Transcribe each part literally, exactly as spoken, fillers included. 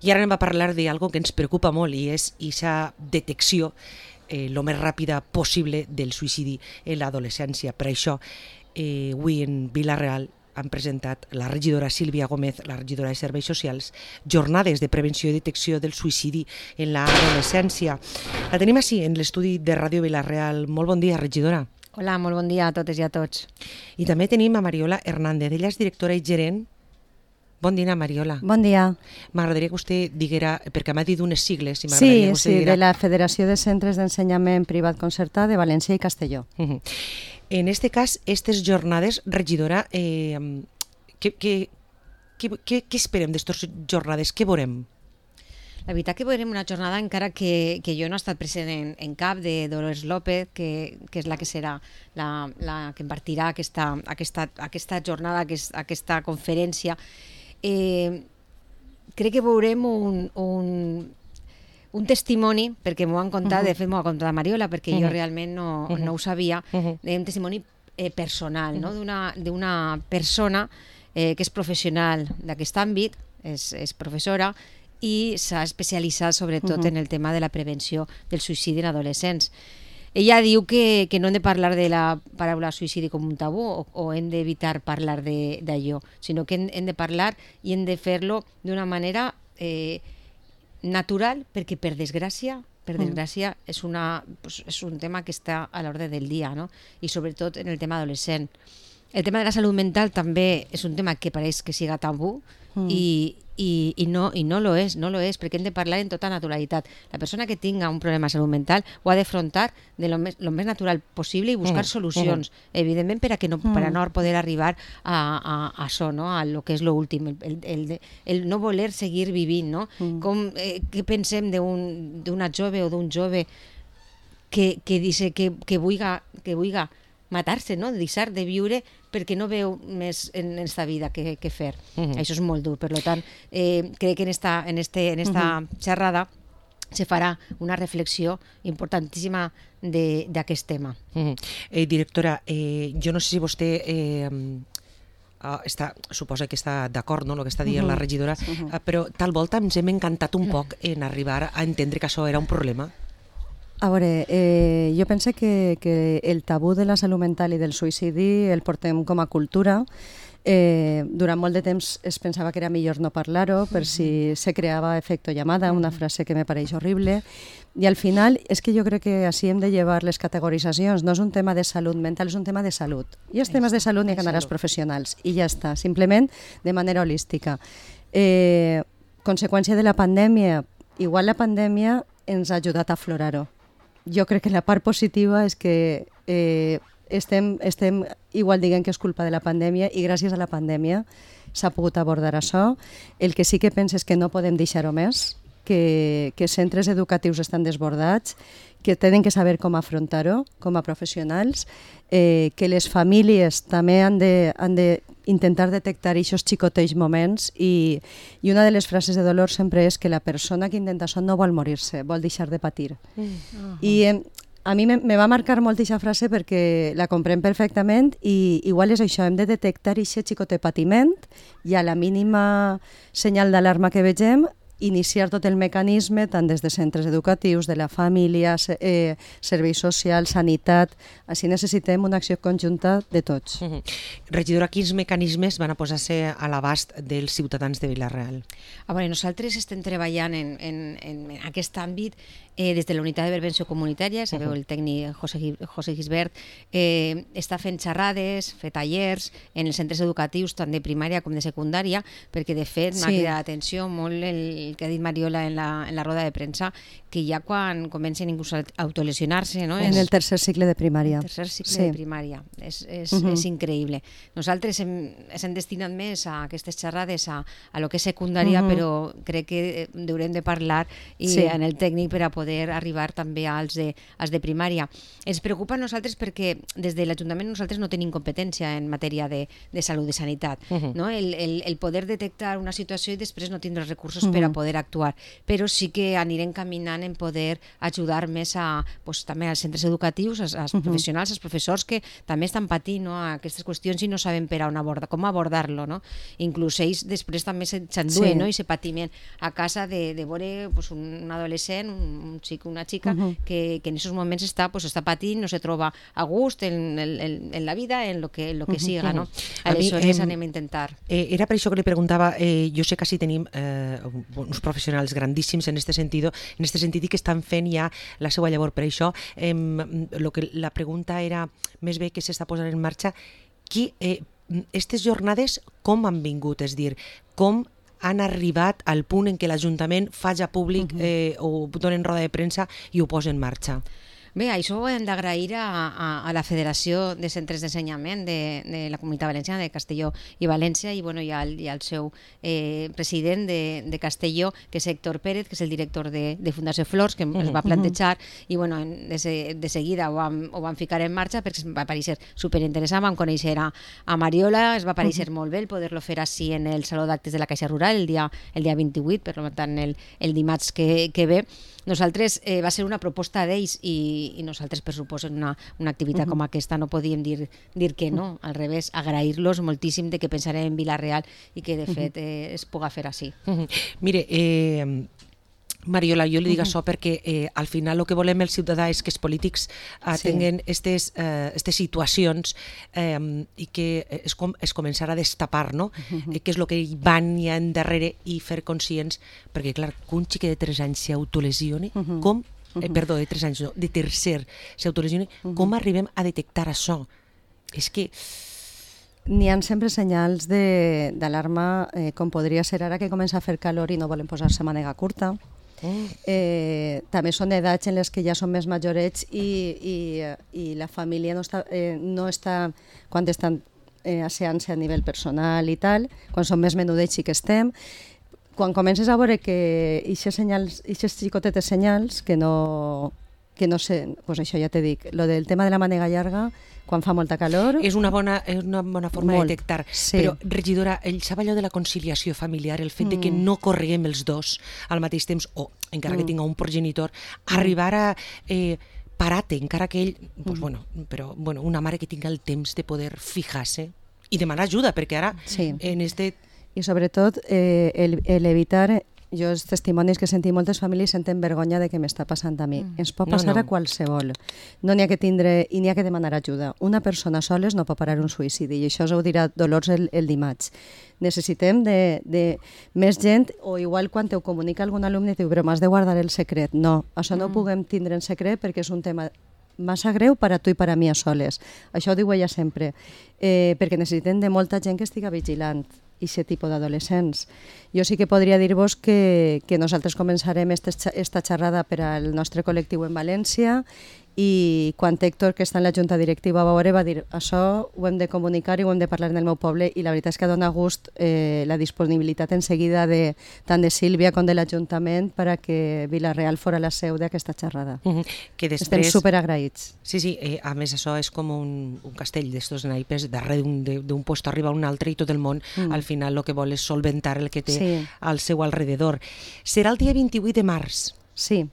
I ara anem a parlar d'algo que ens preocupa molt i és aquesta detecció eh, lo més ràpida possible del suïcidi en l'adolescència. Per això, eh, avui en Vila-real han presentat la regidora Sílvia Gómez, la regidora de Serveis Socials, jornades de prevenció i detecció del suïcidi en l'adolescència. La tenim així en l'estudi de Ràdio Vila-real. Molt bon dia, regidora. Hola, molt bon dia a totes i a tots. I també tenim a Mariola Hernández, ella és directora i gerent. Bon dia, Mariola. Bon dia. M'agradaria que vostè diguera, perquè m'ha dit unes sigles. Si sí, que sí, diguera... de la Federació de Centres d'Ensenyament Privat Concertat de València i Castelló. Uh -huh. En este cas, aquestes jornades, regidora, eh, què, què, què, què, què esperem d'estes jornades? Què veurem? La veritat que veurem una jornada, encara que, que jo no he estat present en, en cap, de Dolors López, que, que és la que serà la, la que impartirà aquesta, aquesta, aquesta jornada, aquest, aquesta conferència. Eh, crec que veurem un, un, un testimoni, perquè m'ho han contat, uh -huh. de fet m'ho ha contat Mariola, perquè uh -huh. jo realment no, uh -huh. no ho sabia, uh -huh. un testimoni eh, personal, no? d'una, d'una persona eh, que és professional d'aquest àmbit, és, és professora, i s'ha especialitzat sobretot uh -huh. en el tema de la prevenció del suïcidi en adolescents. Ella diu que, que no hem de parlar de la paraula suïcidi com un tabú o, o hem d'evitar parlar d'allò, sinó que hem, hem de parlar i hem de fer-lo d'una manera eh, natural, perquè per desgràcia, per desgràcia és, una, pues, és un tema que està a l'ordre del dia, no? I sobretot en el tema adolescent. El tema de la salut mental també és un tema que pareix que siga tabú mm. i, i, i, no, i no lo és, no lo és, perquè hem de parlar en tota naturalitat. La persona que tinga un problema de salut mental ho ha d'afrontar de lo més, lo més natural possible i buscar mm. solucions, mm. evidentment per a, que no, mm. per a no poder arribar a, a, a això, no? A lo que és lo últim, el, el, el, el no voler seguir vivint, no? Mm. Com, eh, què pensem d'una un, jove o d'un jove que, que dice que, que vulga, que vulga matar-se, no? Deixar de viure perquè no veu més en esta vida que, que fer. Uh -huh. Això és molt dur. Per tant, eh, crec que en esta, en este, en esta uh -huh. xerrada se farà una reflexió importantíssima d'aquest tema. Uh -huh. eh, directora, eh, jo no sé si vostè... Eh, Uh, està, suposa que està d'acord, no?, el que està dient uh -huh. la regidora, uh -huh. uh, però tal volta ens hem encantat un poc en arribar a entendre que això era un problema. A veure, eh, jo penso que, que el tabú de la salut mental i del suïcidi el portem com a cultura. Eh, durant molt de temps es pensava que era millor no parlar-ho per si se creava efecto llamada, una frase que me pareix horrible, i al final és que jo crec que així hem de llevar les categoritzacions. No és un tema de salut mental, és un tema de salut. I els temes de salut n'hi ha que anar als professionals i ja està, simplement de manera holística. Eh, conseqüència de la pandèmia, igual la pandèmia ens ha ajudat a aflorar-ho. Jo crec que la part positiva és que eh, estem, estem igual dient que és culpa de la pandèmia i gràcies a la pandèmia s'ha pogut abordar això. El que sí que penso és que no podem deixar-ho més, que, que centres educatius estan desbordats, que tenen que saber com afrontar-ho com a professionals, eh, que les famílies també han de, han de intentar detectar aquests xicotells moments i, i una de les frases de Dolors sempre és que la persona que intenta això no vol morir-se, vol deixar de patir. Mm. Uh-huh. I eh, a mi me, me va marcar molt aquesta frase perquè la comprem perfectament i igual és això, hem de detectar aquest xicotet patiment i a la mínima senyal d'alarma que vegem iniciar tot el mecanisme, tant des de centres educatius, de la família, eh, serveis socials, sanitat. Així necessitem una acció conjunta de tots. Uh-huh. Regidora, quins mecanismes van a posar-se a l'abast dels ciutadans de Vila-real? A veure, nosaltres estem treballant en, en, en aquest àmbit eh, des de la unitat de prevenció comunitària, sabeu, uh-huh. el tècnic José, José Gisbert, eh, està fent xerrades, fer tallers en els centres educatius, tant de primària com de secundària, perquè de fet m'ha sí. cridat l'atenció molt el que ha dit Mariola en la, en la roda de premsa, que ja quan comencen inclús a autolesionar-se... No? En el tercer cicle de primària. El tercer cicle sí. de primària. És, és, uh-huh. és increïble. Nosaltres hem, hem destinat més a aquestes xerrades a, a lo que és secundària, uh-huh. però crec que haurem de parlar i sí. en el tècnic per a poder poder arribar també als de, als de primària. Ens preocupa a nosaltres perquè des de l'Ajuntament nosaltres no tenim competència en matèria de, de salut, de sanitat. Uh-huh. No? El, el, el poder detectar una situació i després no tindre els recursos uh-huh. per a poder actuar, però sí que anirem caminant en poder ajudar més a, pues, també als centres educatius, als, als uh-huh. professionals, als professors que també estan patint, no, aquestes qüestions i no saben per on abordar, com abordar-lo. No? Inclús ells després també s'enduen, sí. no? i se patiment a casa de, de veure pues, un adolescent, un, un xic, una xica uh-huh. que, que en aquests moments està, pues, està patint, no se troba a gust en, en, en la vida, en lo que, en lo que uh-huh. siga. No? Aleshores a mi, eh, anem a intentar. Eh, era per això que li preguntava, eh, jo sé que sí tenim eh, uns professionals grandíssims en este sentido, en este sentit i que estan fent ja la seva llavor. Per això eh, lo que la pregunta era més bé que s'està posant en marxa qui, eh, aquestes jornades com han vingut, és dir, com han arribat al punt en què l'Ajuntament faci públic eh, o donen roda de premsa i ho posa en marxa. Bé, això ho hem d'agrair a, a, a la Federació de Centres d'Ensenyament de, de la Comunitat Valenciana, de Castelló i València, i, bueno, i, al, i al seu eh, president de, de Castelló, que és Héctor Pérez, que és el director de, de Fundació Flors, que uh-huh. es va plantejar, i bueno, de, se, de seguida ho vam, ho vam ficar en marxa perquè va aparèixer superinteressant, vam conèixer a, a Mariola, es va aparèixer uh-huh. molt bé el poder-lo fer així en el Saló d'Actes de la Caixa Rural el dia, el dia vint-i-vuit, per tant el, el dimarts que, que ve. Nosaltres eh, va ser una proposta d'ells i, i nosaltres, per suposo, en una, una activitat uh-huh. com aquesta no podíem dir, dir que no, al revés, agrair-los moltíssim de que pensarem en Vila-real i que de fet eh, es puga fer així. Uh-huh. Mire, eh, Mariola, jo li dic uh-huh. això perquè eh, al final el que volem el ciutadà és que els polítics eh, sí. tinguen aquestes eh, situacions eh, i que es, com, es començar a destapar, no? Uh-huh. eh, què és el que van ja endarrere i fer conscients, perquè clar, que un xique de tres anys s'autolesioni, uh-huh. com, eh, perdó, de tres anys no, de tercer s'autolesioni, uh-huh. com arribem a detectar això? És que... N'hi ha sempre senyals d'alarma, eh, com podria ser ara que comença a fer calor i no volen posar-se mànega curta. Eh, també són edats en les que ja són més majorets i, i, i la família no està, eh, no està quan estan eh, asseant-se a nivell personal i tal, quan són més menudets sí que estem. Quan comences a veure que aquestes senyals, aquestes xicotetes senyals que no, que no sé, pues això ja t'he dic, lo del tema de la mànega llarga, quan fa molta calor... És una bona, és una bona forma molt, de detectar. Sí. Però, regidora, el sap allò de la conciliació familiar, el fet mm. de que no correguem els dos al mateix temps, o encara mm. que tinga un progenitor, arribar a eh, parar-te, encara que ell... Pues, mm. bueno, però bueno, una mare que tinga el temps de poder fijar-se i demanar ajuda, perquè ara sí. en este... I sobretot eh, el, el evitar... Jo els testimonis que sentim moltes famílies senten vergonya de què m'està passant a mi. Mm. Ens pot passar no, no. a qualsevol. No n'hi ha que tindre i n'hi ha que demanar ajuda. Una persona soles no pot parar un suïcidi i això us ho dirà Dolors el, el dimarts. Necessitem de, de més gent, o igual quan te ho comunica algun alumne i diu, però m'has de guardar el secret. No, això no mm. ho puguem tindre en secret perquè és un tema massa greu per a tu i per a mi a soles. Això ho diu ella sempre. Eh, perquè necessitem de molta gent que estiga vigilant i aquest tipus d'adolescents. Jo sí que podria dir-vos que, que nosaltres començarem esta xerrada per al nostre col·lectiu en València i quan Héctor, que està en la junta directiva, va veure, va dir això ho hem de comunicar i ho hem de parlar en el meu poble i la veritat és que dona gust eh, la disponibilitat en seguida de, tant de Sílvia com de l'Ajuntament per a que Vila-real fora la seu d'aquesta xerrada. Uh-huh. Que després... Estem superagraïts. Sí, sí, eh, a més això és com un, un castell d'estos naipes, darrere d'un lloc arriba a un altre i tot el món mm. al final el que vol és solventar el que té sí. al seu alrededor. Serà el dia vint-i-vuit de març? Sí.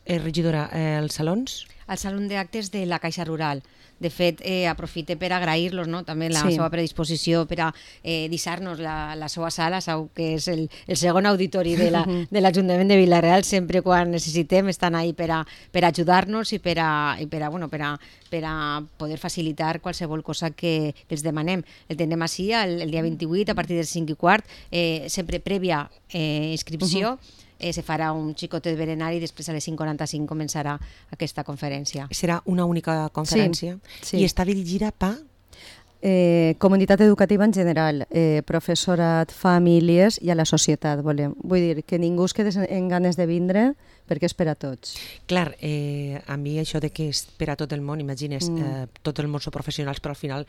Eh, regidora, eh, els salons? Al Saló d'Actes de la Caixa Rural. De fet, eh, aprofite per agrair-los, no? També la sí. seva predisposició per a eh, deixar-nos la, la seva sala, sau que és el, el segon auditori de l'Ajuntament la, de Vila-real. Sempre quan necessitem estan ahí per a, per a ajudar-nos i per a, i per a, bueno, per a, per a poder facilitar qualsevol cosa que, que els demanem. El tindrem així el, el dia vint-i-vuit a partir del cinc i quart, eh, sempre prèvia eh, inscripció. Uh-huh. Eh, se farà un xicotet berenari i després a les cinc quaranta-cinc començarà aquesta conferència. Serà una única conferència? Sí, sí. I està dirigida per? Eh, comunitat educativa en general, eh, professorat, famílies i a la societat, volem. Vull dir, que ningú es quedi en ganes de vindre perquè és per a tots. Clar, eh, a mi això de que és per a tot el món, imagines, mm. eh, tot el món són professionals, però al final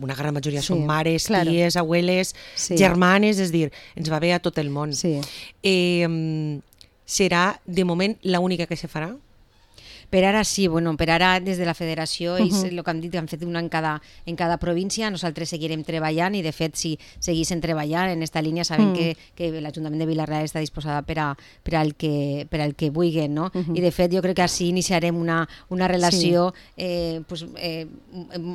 una gran majoria sí, són mares, claro. ties, abueles, sí. germanes, és dir, ens va bé a tot el món. Sí. Eh, serà de moment l'única que se farà? Per ara sí, bueno, per ara des de la federació ells uh -huh. el que han dit, han fet una en cada, en cada província, nosaltres seguirem treballant i de fet si seguissin treballant en aquesta línia sabem mm. que, que l'Ajuntament de Vila-real està disposada per, a, per, al que, per al que vulguin, no? Uh -huh. I de fet jo crec que així iniciarem una, una relació sí. eh, pues, eh,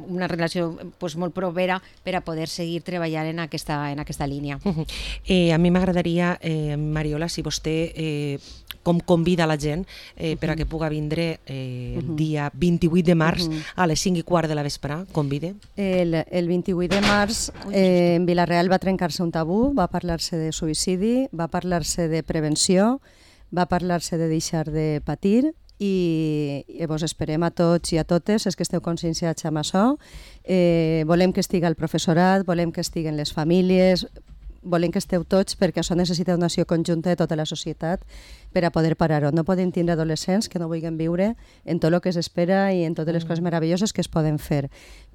una relació pues, molt propera per a poder seguir treballant en aquesta, en aquesta línia. Uh -huh. eh, a mi m'agradaria, eh, Mariola, si vostè eh, com convida la gent eh, per a que puga vindre eh, el dia vint-i-vuit de març uh -huh. a les cinc i quart de la vespre, convide. El, el vint-i-vuit de març eh, en Vila-real va trencar-se un tabú, va parlar-se de suïcidi, va parlar-se de prevenció, va parlar-se de deixar de patir i, i vos esperem a tots i a totes els que esteu conscienciats amb això. Eh, volem que estigui el professorat, volem que estiguen les famílies, volem que esteu tots perquè això necessita una acció conjunta de tota la societat per a poder parar-ho. No podem tindre adolescents que no vulguin viure en tot el que s'espera i en totes les coses meravelloses que es poden fer.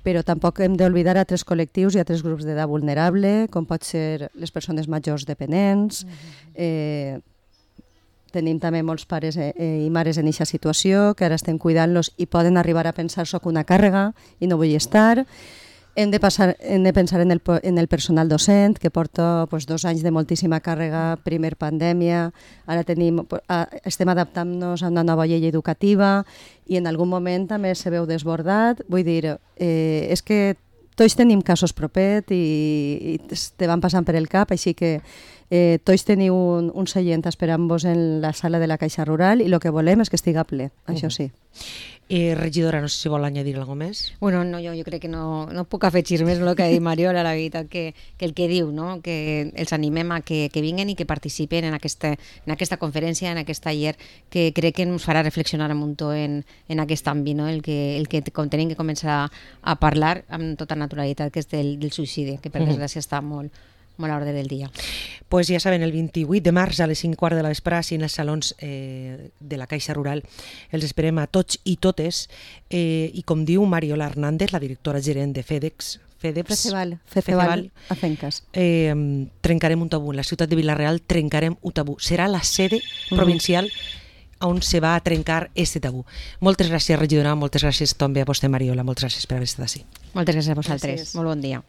Però tampoc hem d'oblidar altres col·lectius i altres grups d'edat vulnerable, com pot ser les persones majors dependents. Eh, tenim també molts pares eh, i mares en aquesta situació que ara estem cuidant-los i poden arribar a pensar soc una càrrega i no vull estar. Hem de, passar, hem de pensar en el, en el personal docent, que porta pues, dos anys de moltíssima càrrega, primer pandèmia, ara tenim, estem adaptant-nos a una nova llei educativa i en algun moment també se veu desbordat. Vull dir, eh, és que tots tenim casos propet i, i te van passant per el cap, així que eh, tots teniu un, un seient esperant-vos en la sala de la Caixa Rural i el que volem és que estigui ple, això sí. Eh, regidora, no sé si vol añadir alguna cosa més. Bueno, no, jo, jo crec que no, no puc afegir més el que ha dit Mariola, la veritat que, que el que diu, no? Que els animem a que, que vinguin i que participen en aquesta, en aquesta conferència, en aquest taller, que crec que ens farà reflexionar un muntó en, en aquest àmbit, no? el que, el que tenim que començar a, a parlar amb tota naturalitat, que és del, del suïcidi, que per mm. desgràcia està molt, molt a l'ordre del dia. Pues ja saben, el vint-i-vuit de març a les cinc i quart de la vespre, així en els salons eh, de la Caixa Rural, els esperem a tots i totes, eh, i com diu Mariola Hernández, la directora gerent de FEDEX, FEDEPS, Feceval, Feceval, a Fencas. Eh, trencarem un tabú. En la ciutat de Vila-real trencarem un tabú. Serà la sede provincial on se va a trencar este tabú. Moltes gràcies, regidora, moltes gràcies també a vostè, Mariola, moltes gràcies per haver estat així. Moltes gràcies a vosaltres. Gràcies. Molt bon dia.